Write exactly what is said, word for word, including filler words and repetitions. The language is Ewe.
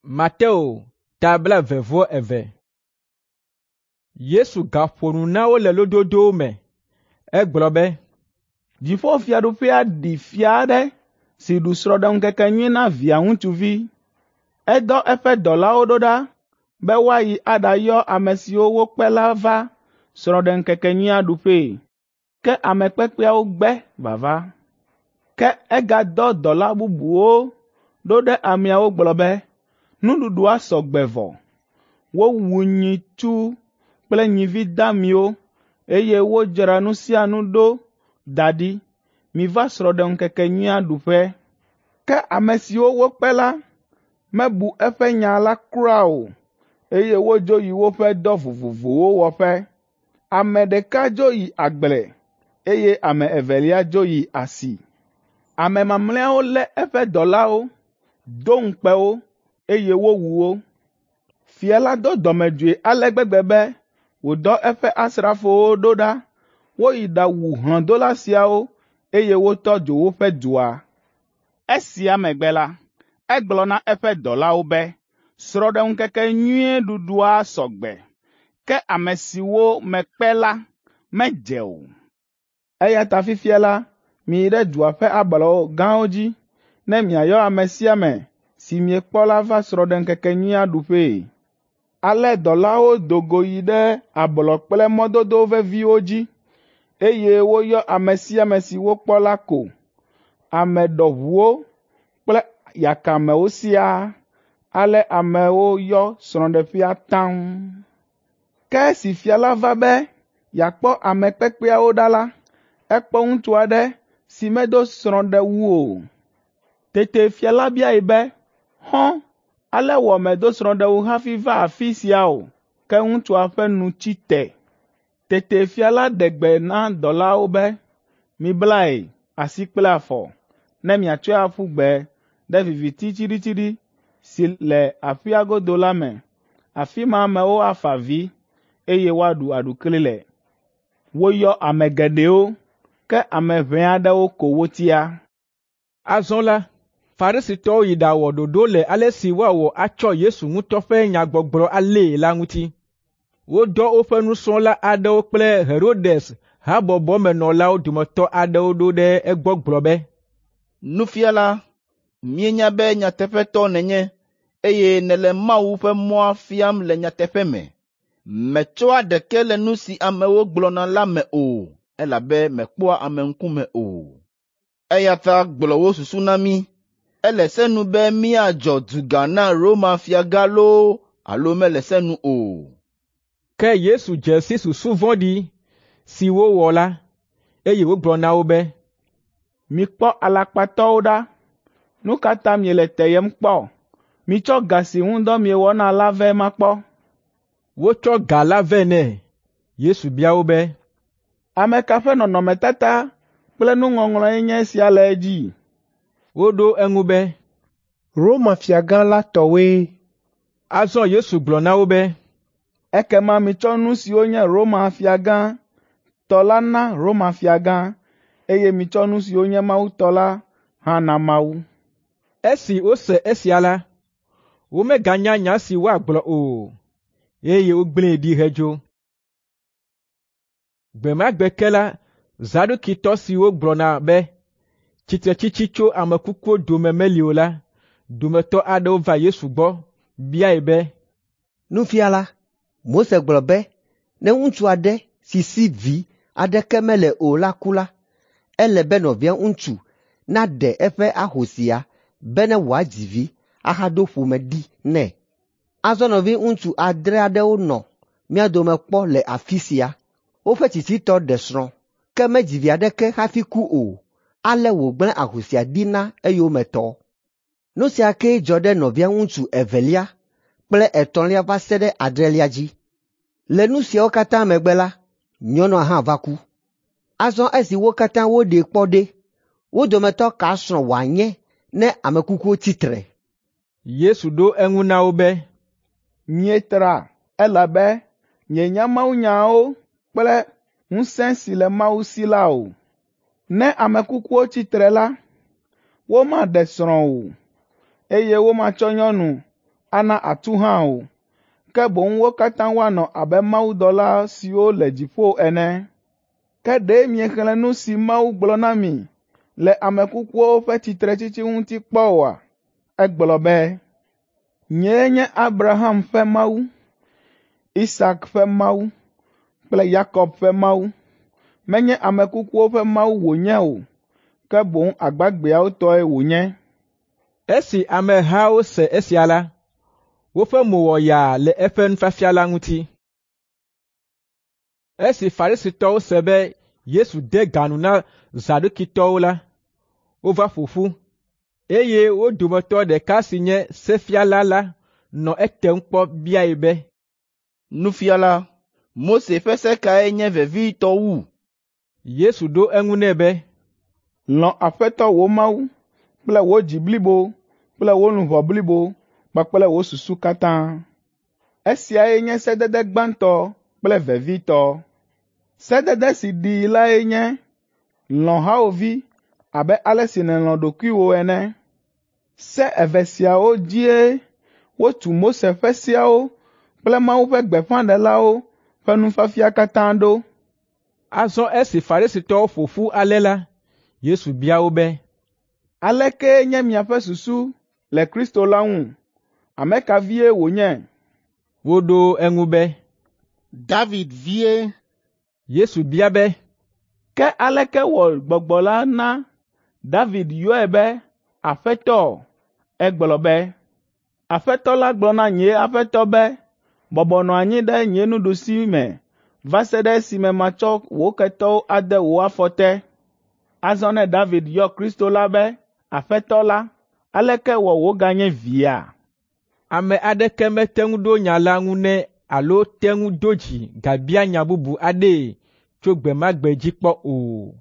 Mateo ta blaeve-vɔ-eve. Yesu gaƒo nu na wo le lododowo me. Egblɔ be, Dziƒofiaɖuƒea ɖi fia aɖe si ɖu srɔ̃ɖeŋkekenyui na via ŋutsuvi. Edɔ eƒe dɔlawo ɖo ɖa be woayi aɖayɔ ame siwo wokpe la va srɔ̃ɖeŋkekenyuia ɖuƒee, ke ame kpekpeawo gbe vava. Ke egadɔ dɔla bubuwo ɖo ɖe ameawo gblɔ be, ‘Nuɖuɖua sɔ gbe vɔ. Wowu nyitsu kple nyivi damiwo, eye wodzra nu sia nu ɖo da ɖi. Miva srɔ̃ɖeŋkekenyuia ɖuƒe.’ Ke ame siwo wokpe la mebu eƒe nya la kura o, eye wodzo yi woƒe dɔ vovovowo wɔƒe. Ame ɖeka dzo yi agble, eye ame evelia dzo yi asi. Ame mamlɛawo lé eƒe dɔlawo, do ŋukpe wo, eye wowu wo. Fia la do dɔmedzoe ale gbegbe be wòdɔ eƒe asrafowo ɖo ɖa woyi ɖawu hlɔ̃dola siawo, eye wotɔ dzo woƒe dua. Esia megbe la, egblɔ na eƒe dɔlawo be, ‘Srɔ̃ɖeŋkekenyui ɖuɖua sɔ gbe, ke ame siwo mekpe la medze o. Eya ta fifia la, miyi ɖe dua ƒe ablɔ gãwo dzi ne miayɔ ame sia ame si miekpɔ la va srɔ̃ɖeŋkekenyuia ɖuƒee.’ Ale dɔlawo do go yi ɖe ablɔ kple mɔdodo veviwo dzi, eye woyɔ ame sia ame si wokpɔ la ko, ame ɖɔʋuwo kple yakamewo siaa. Ale amewo yɔ srɔ̃ɖeƒea taŋ. Ke esi fia la va be yeakpɔ ame kpekpeawo ɖa la, ekpɔ ŋutsu aɖe si medo srɔ̃ɖewu o. Tete fia la biae be, ‘Xɔ̃, ale wɔ mèdo srɔ̃ɖewu hafi va afi sia o?’ Ke ŋutsua ƒe nu tsi te. Tete fia la ɖe gbe na dɔlawo be, ‘Miblae asi kple afɔ, ne miatsɔe aƒu gbe ɖe viviti tsiɖitsiɖi si le aƒea godo la me. Afi ma amewo afa avi, eye woaɖu aɖukli le.’ Woyɔ ame geɖewo, ke ame ʋɛ aɖewo ko wotia.” Azɔ la, Farisitɔwo yi ɖawɔ ɖoɖo le ale si woawɔ atsɔ Yesu ŋutɔ ƒe nyagbɔgblɔ alée la ŋuti. Wodɔ woƒe nusrɔ̃la aɖewo kple Herodes habɔbɔmenɔlawo dometɔ aɖewo ɖo ɖe egbɔ gblɔ be, Nufiala, míenya be nyateƒetɔ nènye, eye nèle Mawu ƒe mɔa fiam le nyateƒe me. Mètsɔa ɖeke le nu si amewo gblɔna la me o, elabe mèkpɔa ame ŋkume o. Eya ta gblɔ wò susu na mí. Ele se nu be míadzɔ duga na Roma fiagã loo alo mele se nu o?” Ke Yesu dze si susu vɔ̃ɖi si wowɔ la, eye wògblɔ na wo be, “Mikpɔ alakpatɔwo ɖa! Nu ka ta miele teyem kpɔ? Mitsɔ ga si ŋu dɔ miewɔna la vɛ makpɔ.” Wotsɔ ga la vɛ nɛ. Yesu bia wo be, “Ame ka ƒe nɔnɔmetata kple nuŋɔŋlɔe nye esia le edzi?” Woɖo eŋu be, Roma fiagã la tɔwoe. Azɔ Yesu gblɔ na wo be, “Ekema mitsɔ nu siwo nye Roma fiagã tɔ la na Roma fiagã, eye mitsɔ nu siwo nye Mawu tɔ la hã na Mawu.” Esi wose esia la, womeganya nya si woagblɔ o, eye wogblẽe ɖi hedzo. Gbe ma gbe ke la, Zadukitɔ siwo gblɔna be tsitretsitsi tso ame kukuwo dome meli o la dometɔ aɖewo va Yesu gbɔ biae be, Nufiala, Mose gblɔ be ne ŋutsu aɖe si si vi aɖeke mele o la ku la, ele be nɔvia ŋutsu naɖe eƒe ahosia bene wòadzi vi ahaɖo ƒome ɖi nɛ. Azɔ nɔviŋutsu adre aɖewo nɔ mía dome kpɔ le afi sia. Woƒe tsitsitɔ ɖe srɔ̃, ke medzi vi aɖeke hafi ku o, ale wògblẽ ahosia ɖi na eyometɔ. Nu sia kee dzɔ ɖe nɔvia ŋutsu evelia kple etɔ̃lia va se ɖe adrelia dzi. Le nu siawo katã megbe la, nyɔnua hã va ku. Azɔ esi wo katã woɖee kpɔ ɖe, wo dometɔ ka srɔ̃ wòanye ne ame kukuwo tsi tre?” Yesu ɖo eŋu na wo be, “Mietra elabe mienya mawunyawo kple ŋusẽ si le Mawu si la o. Ne ame kukuwo tsi tre la, womaɖe srɔ̃ o, eye womatsɔ nyɔnu ana atu hã o, ke boŋ wo katã woanɔ abe mawudɔla siwo le dziƒo ene. Ke ɖe miexlẽ nu si Mawu gblɔ na mi le ame kukuwo ƒe tsitretsitsi ŋuti kpɔ oa? Egblɔ be, ‘Nyee nye Abraham ƒe Mawu, Isak ƒe Mawu kple Yakob ƒe Mawu.’ Menye ame kukuwo ƒe Mawu wònye o, ke boŋ agbagbeawo tɔe wònye.” Esi amehawo se esia la, woƒe mo wɔ yaa le eƒe nufiafia la ŋuti. Esi Farisitɔwo se be Yesu de ga nu na Zadukitɔwo la, wova ƒo ƒu, eye wo dometɔ ɖeka si nye sefiala la nɔ etem kpɔ biae be, “Nufiala, Mose ƒe se kae nye vevitɔ wu?” Yesu ɖo eŋu nɛ be, “Lɔ̃ Aƒetɔ wò Mawu kple wò dzi blibo kple wò luʋɔ blibo kpakple wò susu katã. Esiae nye sedede gbãtɔ kple vevitɔ. Sedede si ɖii lae nye, lɔ̃ hawòvi abe ale si nèlɔ̃ ɖokuiwò ene. Se eve siawo dzie wotu Mose ƒe seawo kple Mawu ƒe gbeƒãɖelawo ƒe nufiafia katã ɖo.” Azɔ esi Farisitɔwo ƒo ƒu ale la, Yesu bia wo be, “Aleke nye miaƒe susu le Kristo la ŋu? Ame ka vie wònye?” Woɖo eŋu be, “David vie.” Yesu bia be, “Ke aleke wɔ Gbɔgbɔ la na David yɔe be Aƒetɔ? Egblɔ be, ‘Aƒetɔ la gblɔ na nye Aƒetɔ be, bɔbɔ nɔ anyi ɖe nye nuɖusime va se ɖe esime matsɔ wò ketɔwo ade wò afɔ te.’ Azɔ ne David yɔ Kristo la be Aƒetɔ la, aleke wɔ wòganye via?” Ame aɖeke mete ŋu ɖo nya la ŋu nɛ alo te ŋu do dzi gabia nya bubu aɖee tso gbe ma gbe dzi kpɔ o.